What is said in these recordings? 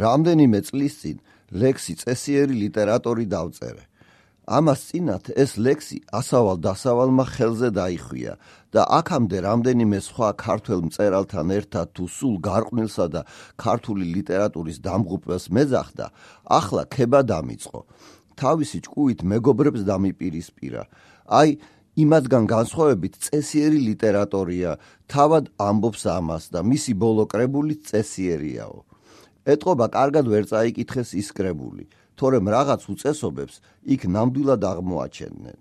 რამდენიმე წლის წინ ლექსი წესიერი ლიტერატორი დავწერე. ამას წინათ ეს ლექსი ასავალ-დასავალმა ხელზე დაიხვია და აქამდე რამდენიმე სხვა ქართველ მწერალთან ერთად თუ სულ გარყვნილსა და ქართული ლიტერატურის დამღუპვას მეძახდა, ახლა ქება დამიწყო. თავისი ჭკუით მეგობრებს დამიპირისპირა. აი, იმათგან განსხვავებით წესიერი ლიტერატორია, თავად ამბობს ამას და მისი ბოლო კრებულიც წესიერიაო. ეტყობა კარგად ვერ წაიკითხეს ის კრებული, თორემ რაღაც უწესობებს იქ ნამდვილად აღმოაჩენენ.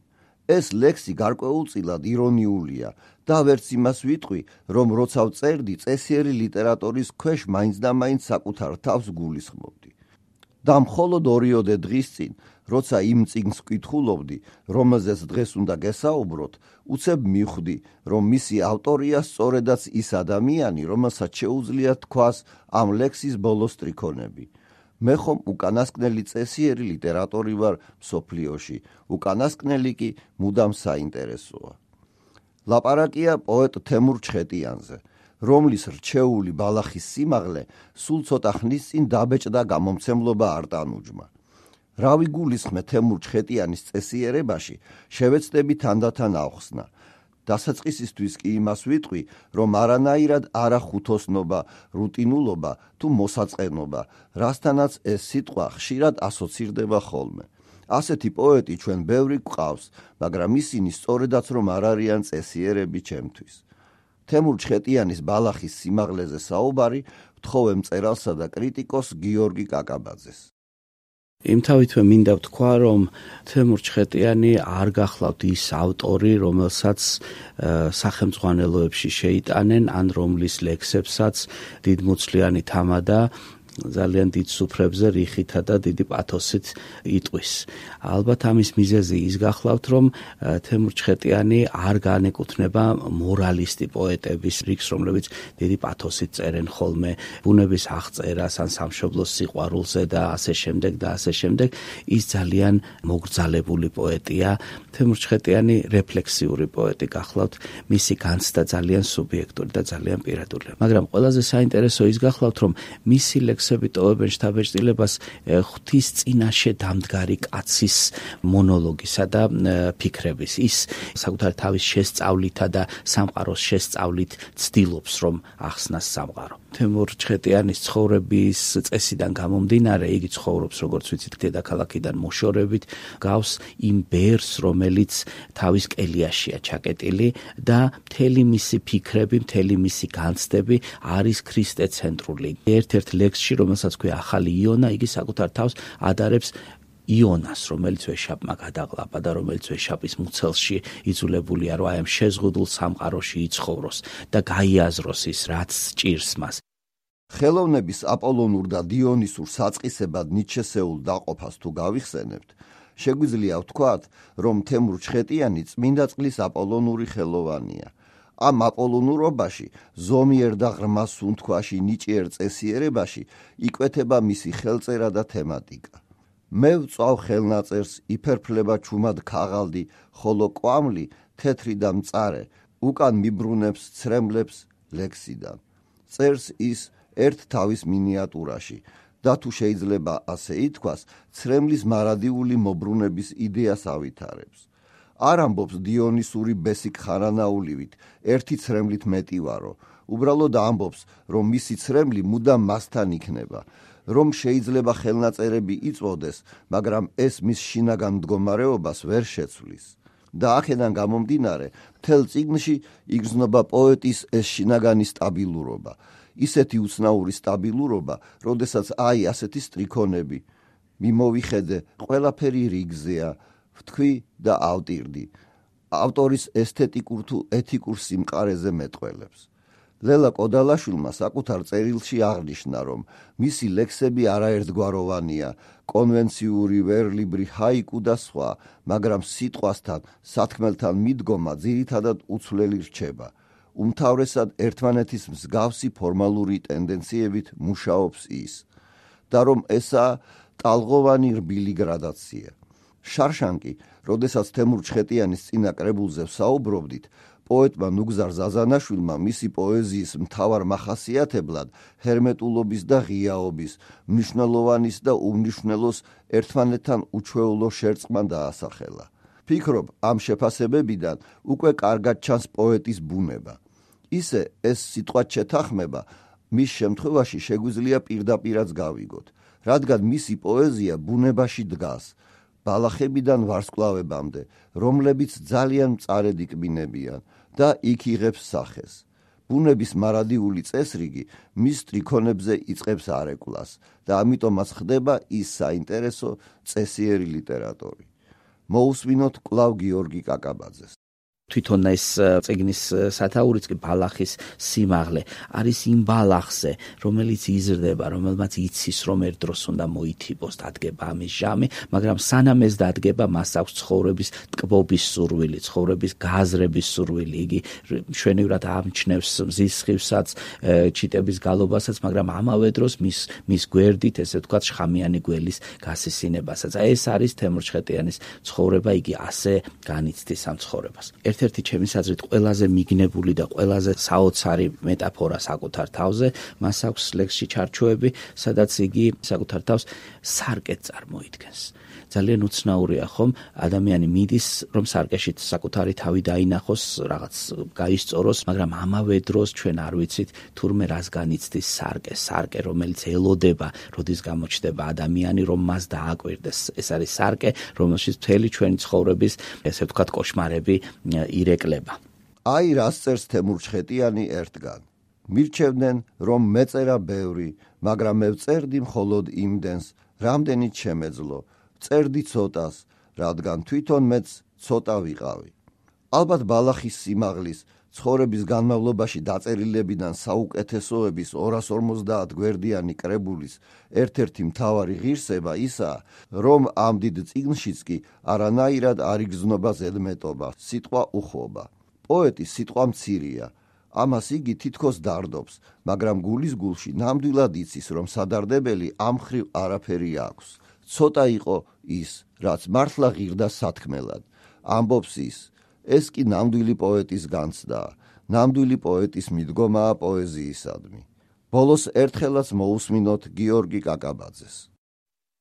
ეს ლექსი გარკვეულწილად ირონიულია და ვერც იმას ვიტყვი, რომ როცა ვწერდი წესიერი ლიტერატურის ქვეშ მაინც და მაინც საკუთარ თავს გულისხმობდი. და მხოლოდ 2 დღის წინ, როცა იმ წიგნს ვკითხულობდი, რომელზეც დღეს უნდა გესაუბროთ, უცებ მივხვდი, რომ მისი ავტორია სწორედაც ის ადამიანი, რომელსაც შეუძლია თქვას ამ ლექსის ბოლო სტრიქონები. მე ხომ უკანასკნელი წესიერი ლიტერატორი ვარ მსოფლიოში, უკანასკნელი კი მუდამ საინტერესოა. ლაპარაკია პოეტ თემურ ჩხეტიანზე, რომლის რჩეული ბალახის სიმაღლე სულ ცოტა ხნის წინ დაბეჭდა გამომცემლობა არტანუჯმა. რა ვიგულისხმე თემურ ჩხეტიანის წესიერებაში, შევეცდები თანდათან ავხსნა. დასაწყისისთვის კი იმას ვიტყვი, რომ არანაირად არა ხუთოსნობა, რუტინულობა თუ მოსაწყენობა, რასთანაც ეს სიტყვა ხშირად ასოცირდება ხოლმე. ასეთი პოეტი ჩვენ ბევრი გვყავს, მაგრამ ისინი სწორედაც რომ არ არიან წესიერები ჩემთვის. თემურ ჩხეტიანის ბალახის სიმაღლეზე საუბარი ვთხოვე მწერალსა და კრიტიკოს გიორგი კაკაბაძეს. იმთავითვე მინდა ვთქვა, რომ თემურ ჩხეტიანი არ გახლავთ ის ავტორი, რომელსაც სახელმძღვანელოებში შეიტანენ, ან რომლის ლექსებსაც დიდმუცლიანი თამადა ძალიან დიდ სუფრებზე რიხითა და დიდი პათოსით იტყვის. ალბათ ამის მიზეზი ის გახლავთ, რომ თემურ ჩხეტიანი არ განეკუთვნება მორალისტი პოეტების რიგს, რომლებიც დიდი პათოსით წერენ ხოლმე ბუნების აღწერას ან სამშობლოს სიყვარულზე და ასე შემდეგ და ასე შემდეგ. ის ძალიან მოგრძალებული პოეტია. თემურ ჩხეტიანი რეფლექსიური პოეტი გახლავთ, მისი განცდა ძალიან სუბიექტური და ძალიან პირადულია. მაგრამ ყველაზე საინტერესო ის გახლავთ, რომ მისი ლექსები ტოვებენ შთაბეჭდილებას ღვთის წინაშე დამდგარი კაცის მონოლოგისა და ფიქრების. ის საკუთარ თავის შესწავლითა და სამყაროს შესწავლით ცდილობს, რომ ახსნას სამყარო. თემურ ჩხეტიანის ცხოვრების წესიდან გამომდინარე, იგი ცხოვრობს, როგორც ვიცით, დედაქალაქიდან მოშორებით, გავს იმ ბერს, რომელიც თავის კელიაშია ჩაკეტილი და მთელი მისი ფიქრები, მთელი მისი განცდები არის ქრისტეცენტრული. ერთ-ერთ ლექსში, რომელსაც ქვია ახალი იონა, იგი საკუთარ თავს ადარებს იონას, რომელიც ვეშაპმა გადაყლაპა და რომელიც ვეშაპის მუცელში იძულებულია, რომ აი ამ შეზღუდულ სამყაროში იცხოვროს და გაიაზროს ის, რაც სჭირს მას. ხელოვნების აპოლონურ და დიონისურ საწყისებად ნიჩესეულ დაყოფას თუ გავიხსენებთ, შეგვიძლია ვთქვათ, რომ თემურ ჩხეტიანი წმინდა წყლის აპოლონური ხელოვანია. ამ აპოლონურობაში, ზომიერ და ღრმა სუნთქვაში ნიჭიერ წესიერებაში იკვეთება მისი ხელწერა და თემატიკა. მე ვწვავ ხელნაწერს, იფერფლება ჩუმად ქაღალდი, ხოლო კვამლი თეთრი და მწარე, უკან მიბრუნებს ცრემლებს ლექსიდან. წერს ის ერთ თავის მინიატურაში და თუ შეიძლება ასე ითქვას, ცრემლის მარადიული მობრუნების იდეას ავითარებს. არ ამბობს დიონისური ბესიკ ხარანაულივით, ერთი ცრემლით მეტი ვარო, უბრალოდ ამბობს, რომ მისი ცრემლი მუდამ მასთან იქნება, რომ შეიძლება ხელნაწერები იწვოდეს, მაგრამ ეს მის შინაგან მდგომარეობას ვერ შეცვლის. და აქედან გამომდინარე, მთელ წიგნში იგრძნობა პოეტის ეს შინაგანი სტაბილურობა, ისეთი უცნაური სტაბილურობა, როდესაც აი ასეთი სტრიქონები, მიმოვიხედე, ყველაფერი რიგზეა, ვთქვი და ავტირდი. ავტორის ესთეტიკურ თუ ეთიკურ სიმყარეზე მეტყველებს. ლელა კოდალაშვილმა საკუთარ წერილში აღნიშნა, რომ მისი ლექსები არაერთგვაროვანია, კონვენციური, ვერლიბრი, ჰაიკუ და სხვა, მაგრამ სიტყვასთან, სათქმელთან მიდგომა ძირითადად უცვლელი რჩება. უმთავრესად ერთმანეთის მსგავსი ფორმალური ტენდენციებით მუშაობს ის და რომ ესაა ტალღოვანი რბილი გრადაცია. შარშანკი, როდესაც თემურ ჩხეტიანის წინა კრებულზე ვსაუბრობდით, პოეტმა ნუგზარ ზაზანაშვილმა მისი პოეზიის მთავარ მახასიათებლად ჰერმეტულობის და ღიაობის, მნიშვნელოვანის და უმნიშვნელოს ერთმანეთთან უჩვეულო შერწყმა დაასახელა. ფიქრობ, ამ შეფასებებიდან უკვე კარგად ჩანს პოეტის ბუნება. ისე ეს სიტყვაც შეთანხმება მის შემთხვევაში შეგვიძლია პირდაპირაც გავიგოთ, რადგან მისი პოეზია ბუნებაში დგას, ბალახებიდან ვარსკვლავებამდე, რომლებიც ძალიან მწარედ იკბინებიან და იქ იღებს სახეს. ბუნების მარადიული წესრიგი მის სტრიქონებზე იწყებს არეკვლას და ამიტომაც ხდება ის საინტერესო წესიერი ლიტერატორი. მოусმინოთ კვლავ გიორგი კაკაბაძეს. თვითონ ეს წიგნის სათაურიც კი ბალახის სიმაღლე არის იმ ბალახზე, რომელიც იზრდება, რომელმაც იცის, რომ ერთ დროს უნდა მოითიბოს, დადგება ამის ჟამი, მაგრამ სანამ ეს დადგება, მას აქვს ცხოვრების ტკბობის სურვილი, ცხოვრების გაზრების სურვილი. იგი მშვენივრად ამჩნევს მზის სხივსაც, ჩიტების გალობასაც, მაგრამ ამავე დროს მის გვერდით, ესე ვთქვათ, შხამიანი გველის გასისინებასაც. ეს არის თემურ ჩხეტიანის ცხოვრება, იგი ასე განიცდის ამ ცხოვრებას. ერთ-ერთი ჩემის აზრით ყველაზე მიგნებული და ყველაზე საოცარი მეტაფორა საკუთარ თავზე, მას აქვს ლექსში ჩარჩოები, სადაც იგი საკუთარ თავს სარკეთ წარმოიდგენს. ძალიან უცნაურია ხომ, ადამიანი მიდის, რომ სარკეში საკუთარი თავი დაინახოს, რაღაც გაისწოროს, მაგრამ ამავე დროს ჩვენ არ ვიცით თურმე რას განიცდის სარკე, რომელიც ელოდება, როდის გამოჩნდება ადამიანი, რომ მას დააკვირდეს. ეს არის სარკე, რომელშიც მთელი ჩვენი ცხოვრების, ესე ვთქვათ, კოშმარები ირეკლება. აი რას წერს თემურ ჩხეტიანი ერთგან. მირჩევდნენ, რომ მეწერა ბევრი, მაგრამ მე ვწერდი მხოლოდ იმდენს, რამდენიც შემეძლო. წერდი ცოტას, რადგან თვითონ მეც ცოტა ვიყავი. ალბათ ბალახის სიმაღლის, ცხოვრების განმავლობაში დაწერილებიდან საუკეთესოების 250 გვერდიანი კრებულის ერთ-ერთი მთავარი ღირსება ისაა, რომ ამ დიდ წიგნშიც კი არანაირად არ იგრძნობა ზედმეტობა, სიტყვა უხობა. პოეტი სიტყვა მცირია, ამას იგი თითქოს დარდობს, მაგრამ გულის გულში ნამდვილად იცის, რომ სადარდებელი ამ მხრივ არაფერი აქვს. ცოტა იყო ის, რაც მართლა ღირდა სათქმელად. ამბობს ის, ეს კი ნამდვილი პოეტის განცდაა, ნამდვილი პოეტის მიდგომაა პოეზიისადმი. ბოლოს ერთხელაც მოусმინოთ გიორგი კაკაბაძეს.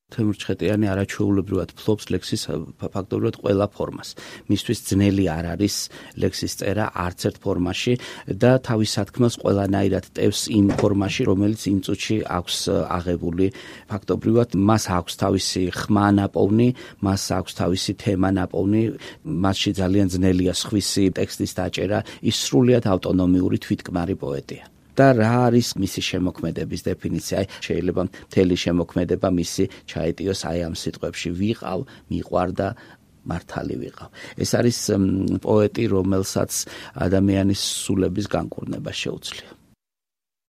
თემურ ჩხეტიანი არაჩვეულებრივად ფლობს ლექსის ფაქტობრივად ყველა ფორმას. მისთვის ძნელი არ არის ლექსის წერა არც ერთ ფორმაში და თავის სათქმელს ყველანაირად ტევს იმ ფორმაში, რომელიც იმ წუთში აქვს აღებული. ფაქტობრივად მას აქვს თავისი ხმა ნაპოვნი, მას აქვს თავისი თემა ნაპოვნი, მასში ძალიან ძნელია სხვისი ტექსტის დაჭერა, ის სრულიად ავტონომიური თვითკმარი პოეტია. და რა არის მისი შემოქმედების დეფინიცია? შეიძლება მთელი შემოქმედება მისი ჩაეტიოს აი ამ სიტყვებში: ვიყავ, მიყვარდა, მართალი ვიყავ. ეს არის პოეტი, რომელსაც ადამიანის სულების განკურნება შეუძლია.